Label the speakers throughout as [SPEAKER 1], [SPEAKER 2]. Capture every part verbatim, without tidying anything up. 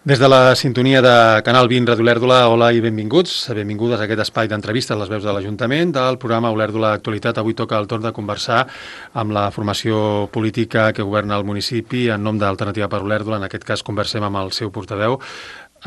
[SPEAKER 1] Des de la sintonia de Canal vint Ràdio Olèrdola, hola i benvinguts. Benvingudes a aquest espai d'entrevistes, les veus de l'Ajuntament, del programa Olèrdola Actualitat. Avui toca el torn de conversar amb la formació política que governa el municipi en nom d'Alternativa per Olèrdola. En aquest cas conversem amb el seu portaveu,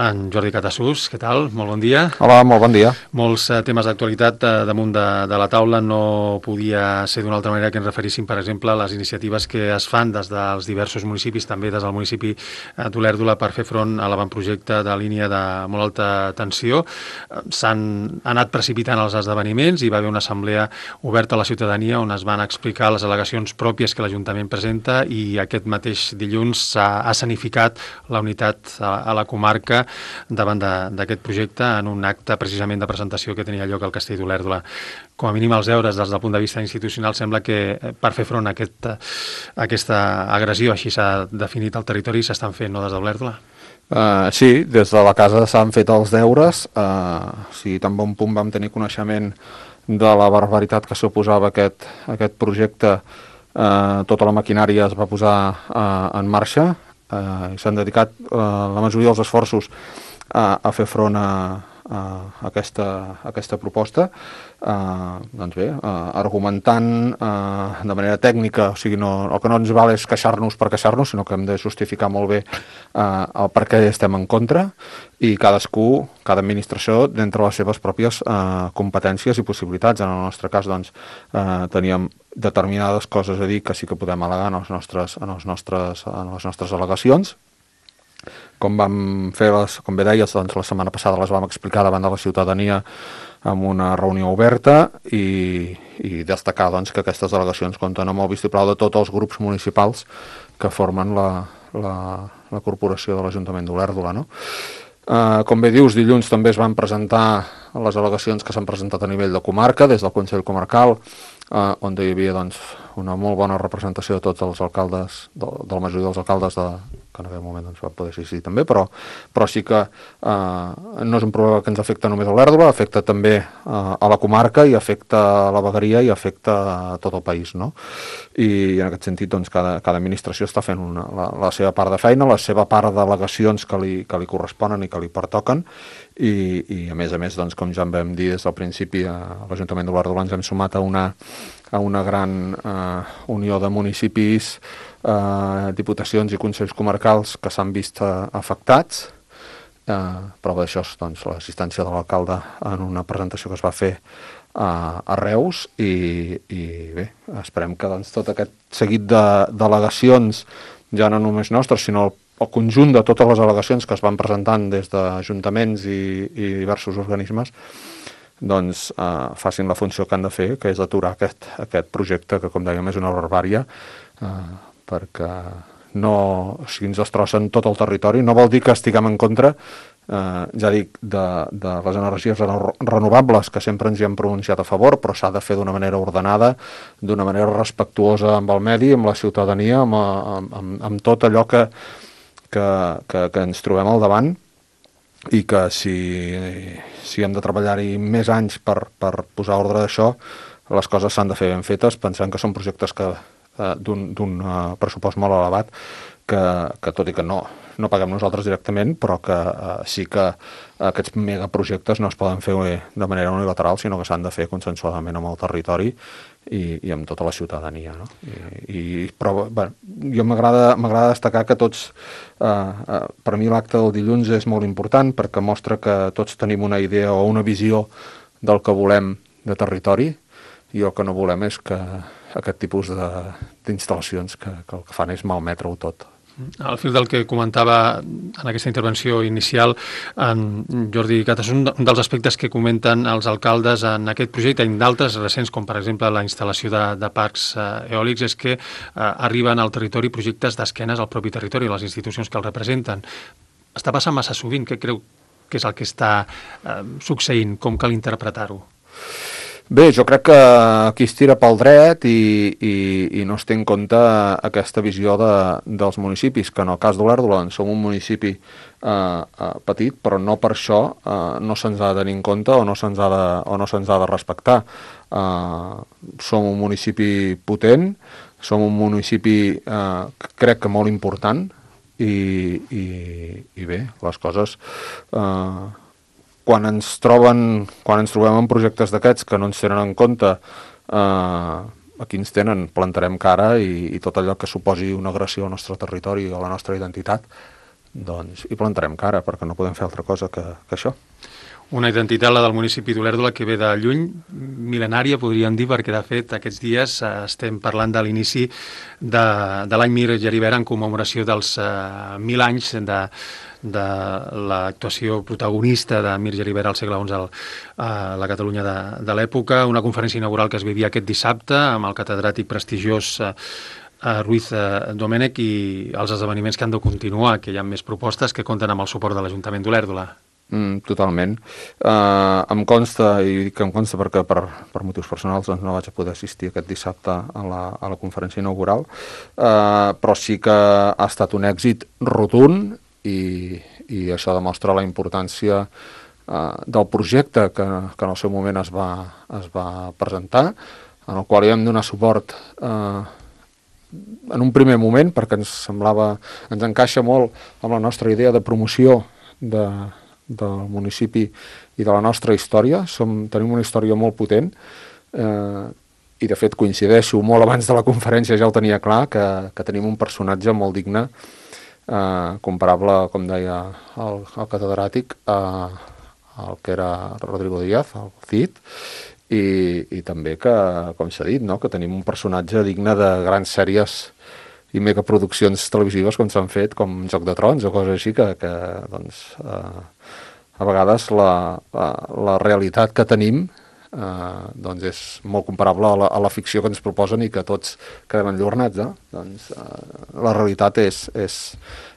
[SPEAKER 1] en Jordi Catassús. Què tal? Molt bon dia.
[SPEAKER 2] Hola, molt bon dia.
[SPEAKER 1] Molts eh, temes d'actualitat eh, damunt de, de la taula. No podia ser d'una altra manera que ens referíssim, per exemple, a les iniciatives que es fan des dels diversos municipis, també des del municipi eh, d'Olèrdola, per fer front a l'avantprojecte de línia de molt alta tensió. Eh, S'han anat precipitant els esdeveniments, hi va haver una assemblea oberta a la ciutadania on es van explicar les al·legacions pròpies que l'Ajuntament presenta, i aquest mateix dilluns s'ha escenificat la unitat a, a la comarca davant d'aquest projecte en un acte precisament de presentació que tenia lloc al Castell d'Olèrdola. Com a mínim els deures des del punt de vista institucional sembla que per fer front a, aquest, a aquesta agressió, així s'ha definit el territori, s'estan fent, no, des d'Olèrdola?
[SPEAKER 2] Uh, sí, des de la casa s'han fet els deures. Uh, sí, tan bon punt vam tenir coneixement de la barbaritat que suposava aquest, aquest projecte, uh, tota la maquinària es va posar uh, en marxa. Uh, s'han dedicat uh, la majoria dels esforços uh, a fer front a, a, aquesta, a aquesta proposta, uh, doncs bé, uh, argumentant uh, de manera tècnica. O sigui, no, el que no ens val és queixar-nos per queixar-nos, sinó que hem de justificar molt bé uh, el per què estem en contra, i cadascú, cada administració, d'entre les seves pròpies uh, competències i possibilitats. En el nostre cas, doncs, uh, teníem determinades coses a dir que sí que podem al·legar en, els nostres, en, els nostres, en les nostres al·legacions. Com vam fer, les, com bé deies, doncs, la setmana passada les vam explicar davant de la ciutadania amb una reunió oberta, i, i destacar, doncs, que aquestes al·legacions compten amb el vistiplau de tots els grups municipals que formen la, la, la corporació de l'Ajuntament d'Olèrdola, no? Uh, com bé dius, dilluns també es van presentar les al·legacions que s'han presentat a nivell de comarca, des del Consell Comarcal, uh, on hi havia, doncs, una molt bona representació de tots els alcaldes, de, de la majoria dels alcaldes de, que en aquell moment doncs, va poder assistir també, però, però sí que uh, no és un problema que ens afecta només a Olèrdola, afecta també uh, a la comarca, i afecta a la vegueria, i afecta a tot el país, no? I en aquest sentit, doncs, cada, cada administració està fent una, la, la seva part de feina, la seva part d'al·legacions que li, que li corresponen i que li pertoquen, i, i a més a més, doncs, com ja en vam dir des del principi, a l'Ajuntament d'Olèrdola ens hem sumat a una, a una gran eh, unió de municipis, eh, diputacions i consells comarcals que s'han vist eh, afectats. Eh, prova d'això, doncs, l'assistència de l'alcalde en una presentació que es va fer a, a Reus, i, i bé, esperem que, doncs, tot aquest seguit d'al·legacions, ja no només nostres, sinó el el conjunt de totes les al·legacions que es van presentant des d'ajuntaments i, i diversos organismes, doncs eh, facin la funció que han de fer, que és aturar aquest, aquest projecte que, com dèiem, és una barbària, eh, perquè no, o sigui, ens destrossen tot el territori. No vol dir que estiguem en contra, eh, ja dic, de, de les energies renovables, que sempre ens hi hem pronunciat a favor, però s'ha de fer d'una manera ordenada, d'una manera respectuosa amb el medi, amb la ciutadania, amb, amb, amb, amb tot allò que Que, que, que ens trobem al davant, i que si, si hem de treballar-hi més anys per, per posar ordre d'això, les coses s'han de fer ben fetes, pensant que són projectes que eh, d'un uh, pressupost molt elevat, que, que tot i que no, no paguem nosaltres directament, però que uh, sí que aquests megaprojectes no es poden fer de manera unilateral, sinó que s'han de fer consensuadament amb el territori i, i amb tota la ciutadania, no? I, i, però bé, jo m'agrada destacar que tots, eh, eh, per mi l'acte del dilluns és molt important, perquè mostra que tots tenim una idea o una visió del que volem de territori, i el que no volem és que aquest tipus d'instal·lacions que, que el que fan és malmetre-ho tot.
[SPEAKER 1] Al fil del que comentava en aquesta intervenció inicial en Jordi Catassús, un dels aspectes que comenten els alcaldes en aquest projecte i en d'altres recents, com per exemple la instal·lació de, de parcs eh, eòlics, és que eh, arriben al territori projectes d'esquenes al propi territori, les institucions que el representen. Està passant massa sovint? Què creu que és el que està eh, succeint? Com cal interpretar-ho?
[SPEAKER 2] Bé, jo crec que aquí es tira pel dret i, i, i no es té en compte aquesta visió de, dels municipis, que en el cas d'Olèrdola som un municipi eh, eh, petit, però no per això eh, no se'ns ha de tenir en compte o no se'ns ha de, o no se'ns ha de respectar. Eh, som un municipi potent, som un municipi eh, crec que molt important, i, i, i bé, les coses eh, quan ens troben quan ens trobem en projectes d'aquests que no ens tenen en compte, eh, aquí ens tenen, plantarem cara i, i tot allò que suposi una agressió al nostre territori o a la nostra identitat, doncs hi plantarem cara, perquè no podem fer altra cosa que, que això.
[SPEAKER 1] Una identitat, la del municipi d'Olèrdola, que ve de lluny, mil·lenària, podríem dir, perquè, de fet, aquests dies eh, estem parlant de l'inici de, de l'any Mir Geribert en commemoració dels eh, mil anys de, de l'actuació protagonista de Mir Geribert al segle onze a la Catalunya de, de l'època, una conferència inaugural que es vivia aquest dissabte amb el catedràtic prestigiós eh, Ruiz eh, Domènech i els esdeveniments que han de continuar, que hi ha més propostes que compten amb el suport de l'Ajuntament d'Olèrdola.
[SPEAKER 2] Mm, totalment. Uh, em consta, i dic que em consta perquè per, per motius personals doncs no vaig a poder assistir aquest dissabte a la, a la conferència inaugural, uh, però sí que ha estat un èxit rotund i, i això demostra la importància uh, del projecte que, que en el seu moment es va, es va presentar, en el qual hi vam donar suport uh, en un primer moment perquè ens semblava, ens encaixa molt amb la nostra idea de promoció de del municipi i de la nostra història. Som, tenim una història molt potent eh, i de fet coincideixo, molt abans de la conferència ja ho tenia clar, que, que tenim un personatge molt digne, eh, comparable, com deia el, el catedràtic, eh, al que era Rodrigo Díaz, el Cid, i, i també que, com s'ha dit, no? que tenim un personatge digne de grans sèries i megaproduccions televisives com s'han fet, com Joc de Trons o coses així, que, que doncs, eh, a vegades la, la, la realitat que tenim eh, doncs és molt comparable a la, a la ficció que ens proposen i que tots quedem enllornats. Eh? Doncs, eh, la realitat és, és,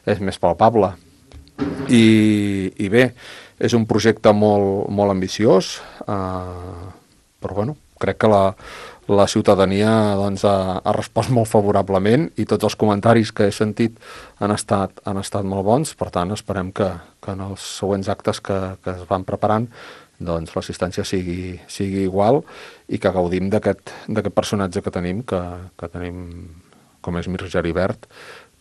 [SPEAKER 2] és més palpable. I, i bé, és un projecte molt, molt ambiciós, eh, però bueno, crec que la la ciutadania doncs, ha, ha respost molt favorablement i tots els comentaris que he sentit han estat, han estat molt bons, per tant esperem que, que en els següents actes que, que es van preparant doncs, l'assistència sigui, sigui igual i que gaudim d'aquest personatge que tenim, que, que tenim com és Mir Geribert,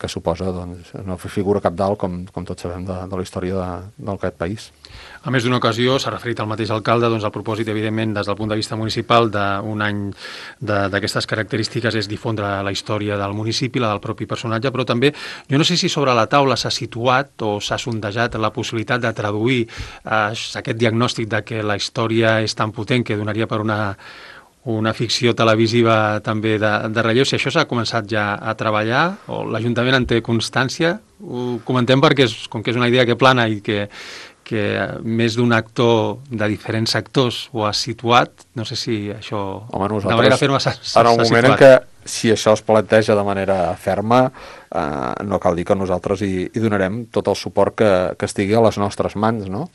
[SPEAKER 2] que suposa doncs, una figura capdalt, com, com tots sabem, de, de la història d'aquest país.
[SPEAKER 1] A més d'una ocasió, s'ha referit al mateix alcalde, doncs el propòsit, evidentment, des del punt de vista municipal d'un any d'aquestes característiques és difondre la història del municipi, la del propi personatge, però també, jo no sé si sobre la taula s'ha situat o s'ha sondejat la possibilitat de traduir eh, aquest diagnòstic de que la història és tan potent que donaria per una una ficció televisiva també de, de relleu. Si això s'ha començat ja a treballar, o l'Ajuntament en té constància, ho comentem perquè és, com que és una idea que plana i que, que més d'un actor de diferents sectors ho ha situat, no sé si això
[SPEAKER 2] Home,
[SPEAKER 1] de manera ferma s'ha situat.
[SPEAKER 2] En el moment en què, si això es planteja de manera ferma, eh, no cal dir que nosaltres hi, hi donarem tot el suport que, que estigui a les nostres mans, no?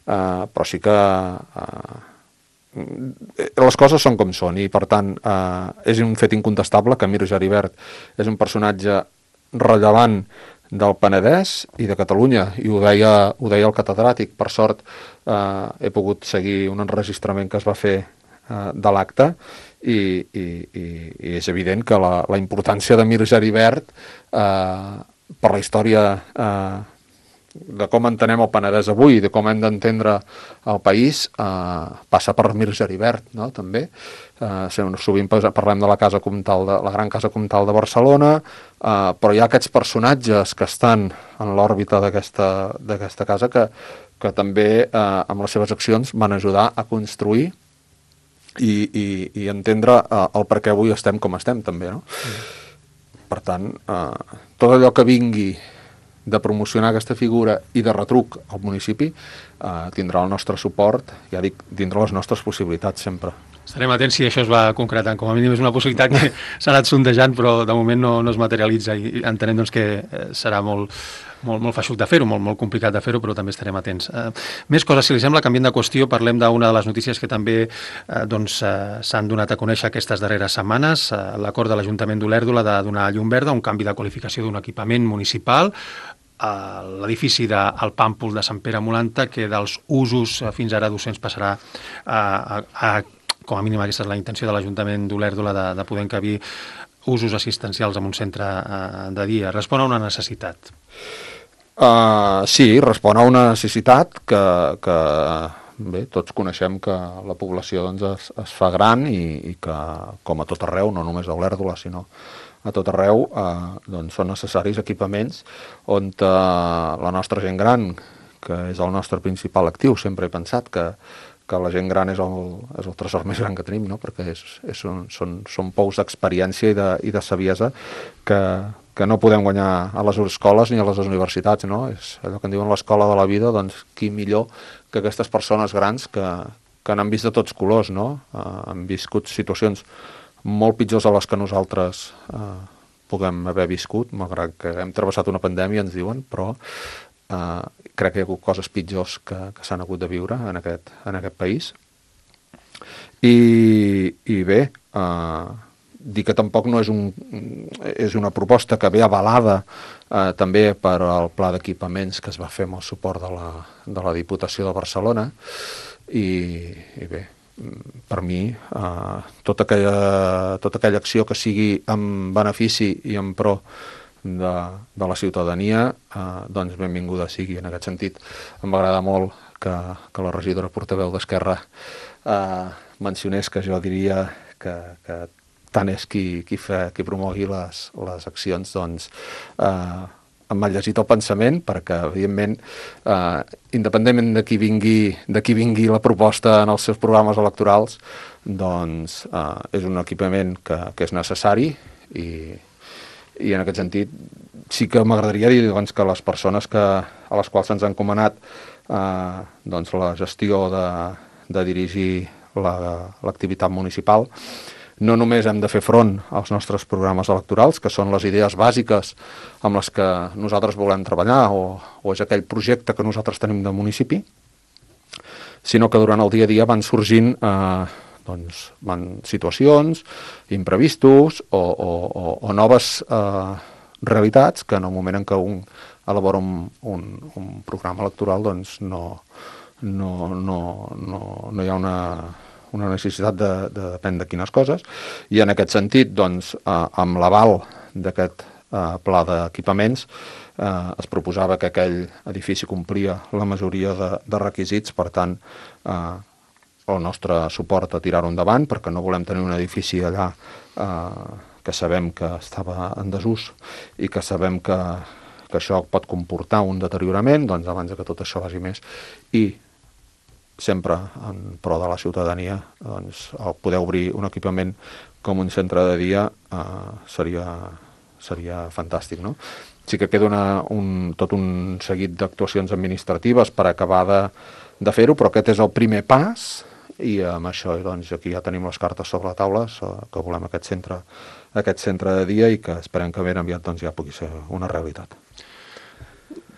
[SPEAKER 2] Eh, però sí que... Eh, les coses són com són i per tant eh, és un fet incontestable que Mir Geribert és un personatge rellevant del Penedès i de Catalunya i ho deia, ho deia el catedràtic. Per sort eh, he pogut seguir un enregistrament que es va fer eh, de l'acte i, i, i, i és evident que la, la importància de Mir Geribert eh, per la història eh, de com entenem el Penedès avui, de com hem d'entendre el país, eh, passa per Mir Geribert, no? També. Eh, sovint parlem de la casa comtal de, la gran casa comtal de Barcelona, eh, però hi ha aquests personatges que estan en l'òrbita d'aquesta casa que, que també eh, amb les seves accions van ajudar a construir i, i, i entendre eh, el per què avui estem com estem, també, no? Mm. Per tant, eh, tot allò que vingui de promocionar aquesta figura i de retruc al municipi eh, tindrà el nostre suport, ja dic, dintre les nostres possibilitats sempre.
[SPEAKER 1] Estarem atents si això es va concretant. Com a mínim és una possibilitat que s'ha anat sondejant, però de moment no, no es materialitza i entenem doncs, que serà molt, molt, molt feixuc de fer-ho, molt, molt complicat de fer-ho, però també estarem atents. Eh, més coses, si li sembla, canviant de qüestió, parlem d'una de les notícies que també eh, doncs, eh, s'han donat a conèixer aquestes darreres setmanes, eh, l'acord de l'Ajuntament d'Olèrdola de donar llum verda, un canvi de qualificació d'un equipament municipal, a l'edifici del Pàmpol de Sant Pere Molanta, que dels usos fins ara docents passarà a, a, a com a mínim aquesta és la intenció de l'Ajuntament d'Olèrdola de, de poder encabir usos assistencials en un centre uh, de dia? Respon a una necessitat?
[SPEAKER 2] Uh, sí, respon a una necessitat que, que bé, tots coneixem que la població doncs, es, es fa gran i, i que, com a tot arreu, no només a Olèrdola, sinó a tot arreu, eh, doncs són necessaris equipaments on eh, la nostra gent gran, que és el nostre principal actiu, sempre he pensat que, que la gent gran és el, és el tresor més gran que tenim, no? Perquè és, és un, són, són pous d'experiència i, de, i de saviesa que, que no podem guanyar a les escoles ni a les universitats, no? És allò que en diuen l'escola de la vida, doncs qui millor que aquestes persones grans que, que n'han vist de tots colors, no? Eh, han viscut situacions molt pitjors a les que nosaltres eh, puguem haver viscut, malgrat que hem travessat una pandèmia, ens diuen, però eh, crec que hi ha hagut coses pitjors que, que s'han hagut de viure en aquest, en aquest país. I, i bé, eh, dir que tampoc no és, un, és una proposta que ve avalada eh, també per al pla d'equipaments que es va fer amb el suport de la, de la Diputació de Barcelona, i, i bé, per mi, eh, tota, aquella, tota aquella acció que sigui en benefici i en pro de, de la ciutadania, eh, doncs benvinguda sigui. En aquest sentit, em va agradar molt que, que la regidora portaveu d'Esquerra eh, mencionés que jo diria que, que tant és qui, qui, fa, qui promogui les, les accions, doncs eh, m'ha llegit el pensament, perquè, evidentment, eh, independentment de qui vingui, de qui vingui la proposta en els seus programes electorals, doncs eh, és un equipament que, que és necessari i, i en aquest sentit sí que m'agradaria dir doncs, que les persones que, a les quals se'ns ha encomanat eh, doncs, la gestió de, de dirigir l'activitat municipal, no només hem de fer front als nostres programes electorals, que són les idees bàsiques amb les que nosaltres volem treballar o, o és aquell projecte que nosaltres tenim de municipi, sinó que durant el dia a dia van sorgint eh, doncs, van situacions, imprevistos o, o, o, o noves eh, realitats que en el moment en què un elabora un, un, un programa electoral doncs no, no, no, no, no hi ha una... una necessitat de, de depèn de quines coses, i en aquest sentit, doncs, eh, amb l'aval d'aquest eh, pla d'equipaments, eh, es proposava que aquell edifici complia la majoria de, de requisits, per tant, eh, el nostre suport a tirar-ho endavant, perquè no volem tenir un edifici allà eh, que sabem que estava en desús i que sabem que, que això pot comportar un deteriorament, doncs abans que tot això vagi més, i sempre en pro de la ciutadania, doncs, el poder obrir un equipament com un centre de dia eh, seria, seria fantàstic, no? Sí que queda una, un, tot un seguit d'actuacions administratives per acabar de, de fer-ho, però aquest és el primer pas i amb això doncs, aquí ja tenim les cartes sobre la taula, que volem aquest centre, aquest centre de dia i que esperem que ben aviat doncs, ja pugui ser una realitat.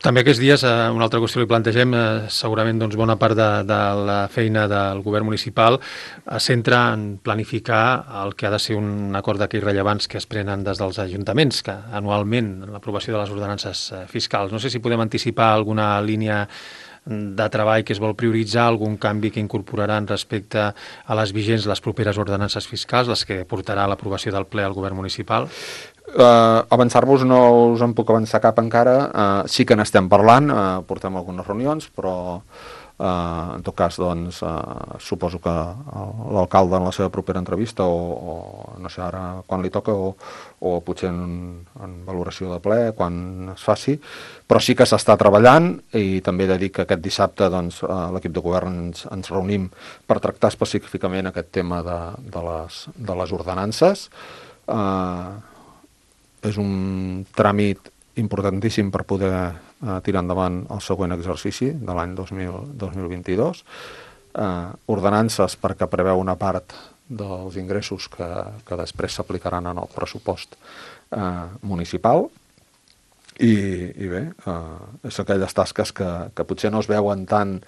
[SPEAKER 1] També aquests dies, eh, una altra qüestió que li plantegem, eh, segurament doncs, bona part de, de la feina del govern municipal es centra en planificar el que ha de ser un acord d'aquells rellevants que es prenen des dels ajuntaments, que anualment, l'aprovació de les ordenances fiscals. No sé si podem anticipar alguna línia de treball que es vol prioritzar, algun canvi que incorporaran respecte a les vigents les properes ordenances fiscals, les que portarà a l'aprovació del ple al govern municipal?
[SPEAKER 2] Uh, avançar-vos no us en puc avançar cap encara, uh, sí que n'estem parlant, uh, portem algunes reunions, però uh, en tot cas doncs, uh, suposo que l'alcalde en la seva propera entrevista o, o no sé ara quan li toca o, o potser en, en valoració de ple quan es faci, però sí que s'està treballant i també he de dir que aquest dissabte doncs, uh, l'equip de govern ens, ens reunim per tractar específicament aquest tema de, de, les, de les ordenances. Uh, és un tràmit importantíssim per poder eh, tirar endavant el següent exercici de l'any dos mil vint-i-dos. Eh, ordenances perquè preveu una part dels ingressos que, que després s'aplicaran en el pressupost eh, municipal i, i bé, eh, és aquelles tasques que, que potser no es veuen tant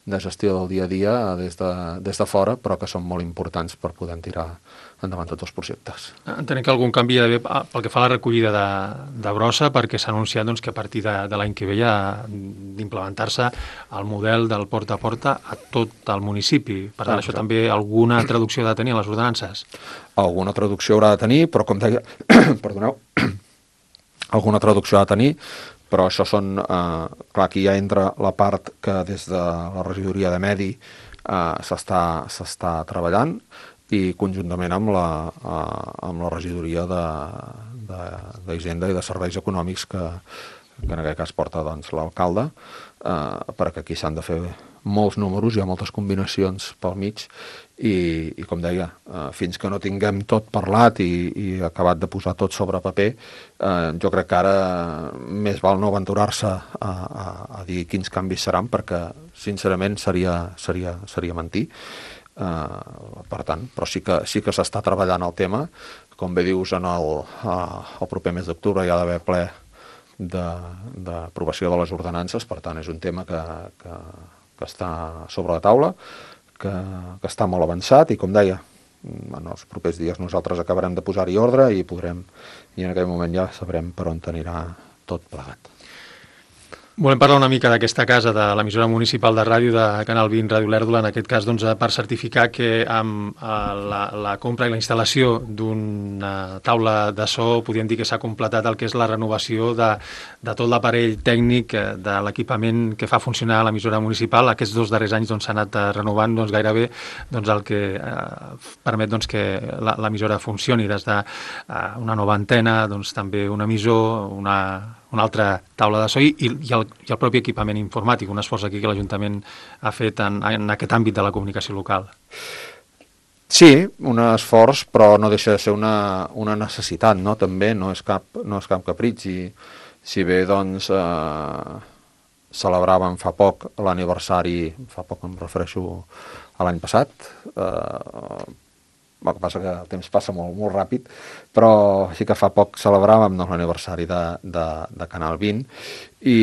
[SPEAKER 2] de gestió del dia a dia des de, des de fora, però que són molt importants per poder tirar endavant tots els projectes.
[SPEAKER 1] Entenem que algun canvi hi ha d'haver pel que fa a la recollida de, de brossa, perquè s'ha anunciat doncs, que a partir de, de l'any que ve ja d'implementar-se el model del porta a porta a tot el municipi. Per tant, ah, això exacte. També alguna traducció ha de tenir a les ordenances?
[SPEAKER 2] Alguna traducció haurà de tenir, però com deia... perdoneu... alguna traducció ha de tenir, però això són... Eh, clar, aquí ja entra la part que des de la regidoria de Medi eh, s'està s'està treballant, i conjuntament amb la, uh, amb la regidoria d'Hisenda i de Serveis Econòmics que, que en aquest cas porta doncs, l'alcalde, uh, perquè aquí s'han de fer molts números, hi ha moltes combinacions pel mig i, i com deia, uh, fins que no tinguem tot parlat i, i acabat de posar tot sobre paper, uh, jo crec que ara més val no aventurar-se a, a, a dir quins canvis seran, perquè sincerament seria, seria, seria mentir. Uh, per tant, però sí que sí que s'està treballant el tema, com bé dius, en el, uh, el proper mes d'octubre hi ha d'haver ple d'aprovació de, de les ordenances, per tant és un tema que, que, que està sobre la taula, que, que està molt avançat i com deia, en els propers dies nosaltres acabarem de posar-hi ordre i podrem, i en aquell moment ja sabrem per on anirà tot plegat.
[SPEAKER 1] Volem parlar una mica d'aquesta casa, de l'emissora municipal de ràdio de Canal vint, Ràdio Olèrdola, en aquest cas doncs, per certificar que amb la, la compra i la instal·lació d'una taula de so podríem dir que s'ha completat el que és la renovació de, de tot l'aparell tècnic de l'equipament que fa funcionar l'emissora municipal. Aquests dos darrers anys doncs, s'ha anat renovant doncs, gairebé doncs, el que eh, permet doncs, que l'emissora funcioni, des d'una nova antena, doncs, també un emissor, una... una altra taula de so i, i, el, i el propi equipament informàtic, un esforç aquí que l'Ajuntament ha fet en, en aquest àmbit de la comunicació local.
[SPEAKER 2] Sí, un esforç, però no deixa de ser una, una necessitat, no? També no és cap, no és cap capritx. I si bé, doncs, eh, celebràvem fa poc l'aniversari, fa poc em refereixo a l'any passat, eh, el que passa que el temps passa molt, molt ràpid, però sí que fa poc celebràvem doncs, l'aniversari de, de, de Canal vint i,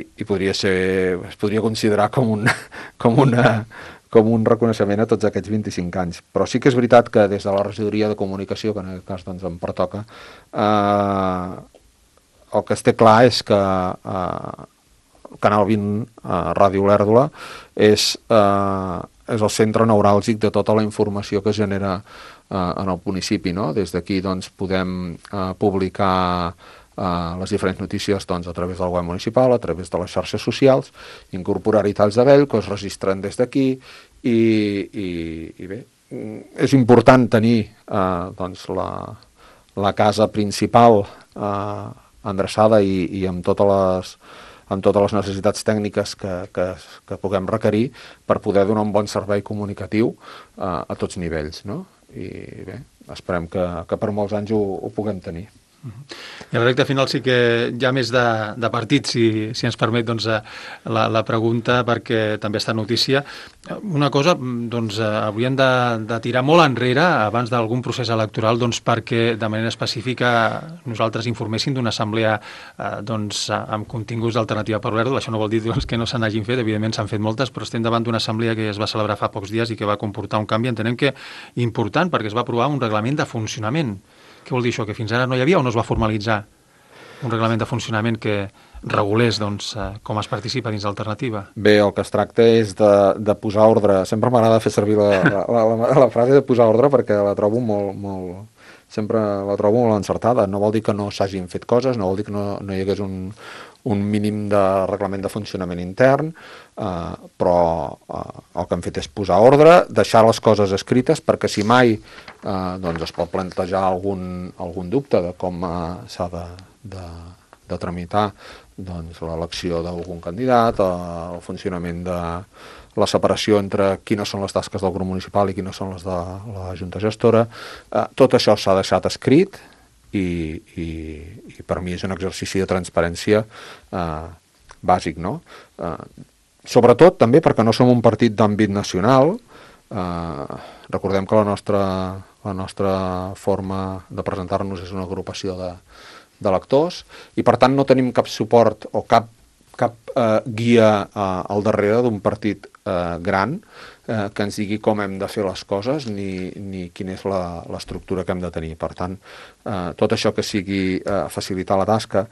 [SPEAKER 2] i podria ser, es podria considerar com un, com, una, com un reconeixement a tots aquests vint-i-cinc anys. Però sí que és veritat que des de la regidoria de comunicació, que en aquest cas doncs, em pertoca, eh, el que es té clar és que eh, Canal vint, eh, Ràdio Olèrdola, és... Eh, és el centre neuràlgic de tota la informació que es genera eh, en el municipi, no? Des d'aquí doncs, podem eh, publicar eh, les diferents notícies doncs, a través del web municipal, a través de les xarxes socials, incorporar-hi talls de vell que es registren des d'aquí i, i, i bé, és important tenir eh, doncs, la, la casa principal eh, endreçada i, i amb totes les amb totes les necessitats tècniques que, que, que puguem requerir per poder donar un bon servei comunicatiu eh, a tots nivells, no? I bé, esperem que, que per molts anys ho, ho puguem tenir.
[SPEAKER 1] I a la recta final sí que hi ha més de, de partit, si, si ens permet doncs, la, la pregunta, perquè també està notícia. Una cosa, doncs, hauríem de, de tirar molt enrere abans d'algun procés electoral doncs, perquè de manera específica nosaltres informéssim d'una assemblea eh, doncs, amb continguts d'alternativa per Olèrdola. Això no vol dir doncs, que no se n'hagin fet, evidentment s'han fet moltes, però estem davant d'una assemblea que es va celebrar fa pocs dies i que va comportar un canvi, entenem que important, perquè es va aprovar un reglament de funcionament. Què vol dir això? Que fins ara no hi havia o no es va formalitzar un reglament de funcionament que regulés doncs, com es participa dins l'alternativa?
[SPEAKER 2] Bé, el que es tracta és de, de posar ordre. Sempre m'agrada fer servir la, la, la, la frase de posar ordre perquè la trobo molt, molt... sempre la trobo molt encertada. No vol dir que no s'hagin fet coses, no vol dir que no, no hi hagués un, un mínim de reglament de funcionament intern, eh, però eh, el que hem fet és posar ordre, deixar les coses escrites perquè si mai eh, doncs es pot plantejar algun, algun dubte de com eh, s'ha de, de, de tramitar doncs, l'elecció d'algun candidat, eh, el funcionament de la separació entre quines són les tasques del grup municipal i quines són les de la Junta Gestora. Eh, tot això s'ha deixat escrit i, i, i per mi és un exercici de transparència eh, bàsic, no? Eh, sobretot també perquè no som un partit d'àmbit nacional. Eh, recordem que la nostra, la nostra forma de presentar-nos és una agrupació de, de lectors i per tant no tenim cap suport o cap cap eh, guia eh, al darrere d'un partit eh, gran eh, que ens digui com hem de fer les coses ni, ni quina és la- l'estructura que hem de tenir. Per tant, eh, tot això que sigui eh, facilitar la tasca,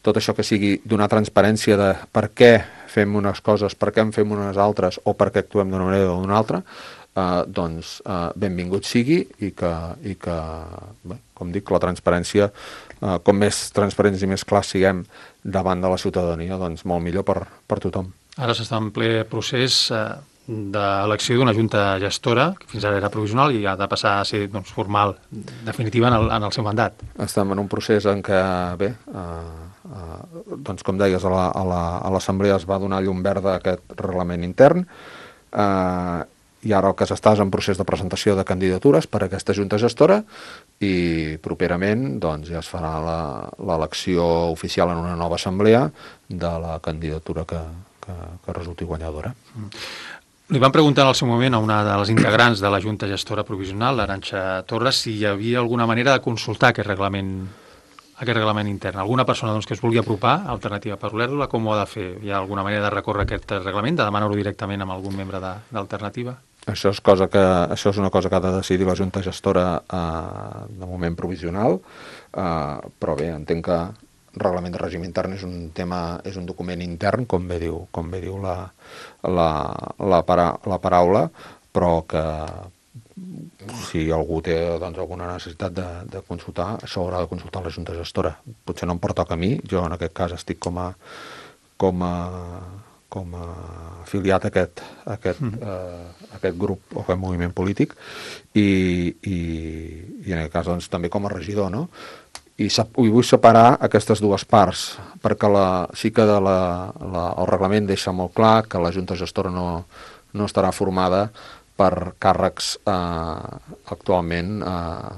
[SPEAKER 2] tot això que sigui donar transparència de per què fem unes coses, per què en fem unes altres o per què actuem d'una manera o d'una altra, eh, doncs eh, benvingut sigui i que, i que bé, com dic, la transparència, eh, com més transparents i més clars siguem davant de la ciutadania, doncs molt millor per, per tothom.
[SPEAKER 1] Ara s'està en ple procés eh, d'elecció d'una junta gestora, que fins ara era provisional i ha de passar a ser doncs, formal, definitiva en el, en el seu mandat.
[SPEAKER 2] Estem en un procés en què, bé, eh, eh, doncs com deies, a la- a la- a l'Assemblea es va donar llum verda a aquest reglament intern, eh, i ara el que s'està és en procés de presentació de candidatures per a aquesta junta gestora i properament doncs, ja es farà la- l'elecció oficial en una nova assemblea de la candidatura que, que, que resulti guanyadora.
[SPEAKER 1] Li van preguntar en el seu moment a una de les integrants de la Junta Gestora Provisional, l'Arantxa Torres, si hi havia alguna manera de consultar aquest reglament, aquest reglament intern. Alguna persona doncs, que es vulgui apropar a Alternativa per Olèrdola, com ho ha de fer? Hi ha alguna manera de recórrer aquest reglament, de demanar-ho directament amb algun membre de- d'Alternativa?
[SPEAKER 2] Això és, cosa que, això és una cosa que ha de decidir la Junta Gestora eh, de moment provisional, eh, però bé, entenc que el reglament de règim intern és un tema, és un document intern, com bé diu, com bé diu la, la, la, para, la paraula, però que si algú té doncs, alguna necessitat de, de consultar, això haurà de consultar la Junta Gestora. Potser no em pertoca a mi, jo en aquest cas estic com a, com a, com a afiliat a aquest, a aquest, mm. eh, a aquest grup o aquest moviment polític i, i, i en aquest cas doncs, també com a regidor, no? I, sap, i vull separar aquestes dues parts, perquè la, sí que de la, la, el reglament deixa molt clar que la Junta Gestora no, no estarà formada per càrrecs eh, actualment eh,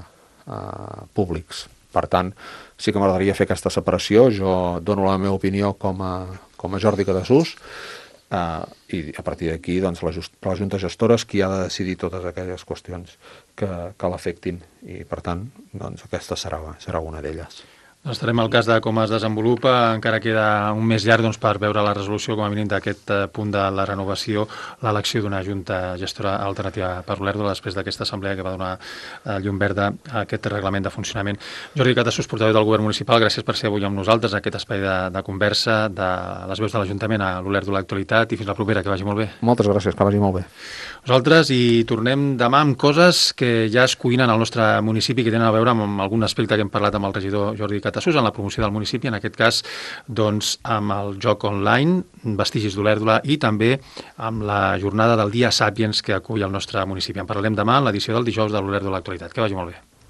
[SPEAKER 2] eh, públics. Per tant, sí que m'agradaria fer aquesta separació. Jo dono la meva opinió com a, com a Jordi Catasús, Uh, i a partir d'aquí doncs, la, just, la Junta Gestora és qui ha de decidir totes aquelles qüestions que, que l'afectin i per tant doncs, aquesta serà, serà una d'elles.
[SPEAKER 1] Doncs estarem al cas de com es desenvolupa. Encara queda un mes llarg doncs, per veure la resolució com a mínim d'aquest eh, punt de la renovació, l'elecció d'una Junta Gestora Alternativa per Olèrdola després d'aquesta assemblea que va donar eh, llum verda a aquest reglament de funcionament. Jordi Catasús, portaveu del Govern Municipal, gràcies per ser avui amb nosaltres en aquest espai de, de conversa de les veus de l'Ajuntament a l'Olèrdola Actualitat i fins la propera, que vagi molt bé.
[SPEAKER 2] Moltes gràcies, que vagi molt bé.
[SPEAKER 1] Nosaltres hi tornem demà amb coses que ja es cuinen al nostre municipi, que tenen a veure amb algun aspecte que hem parlat amb el regidor Jordi Catasús en la promoció del municipi, en aquest cas doncs, amb el joc online, Vestigis d'Olèrdola, i també amb la jornada del Dia Sàpiens que acull el nostre municipi. En parlarem demà en l'edició del dijous de l'Olèrdola Actualitat. Que vagi molt bé.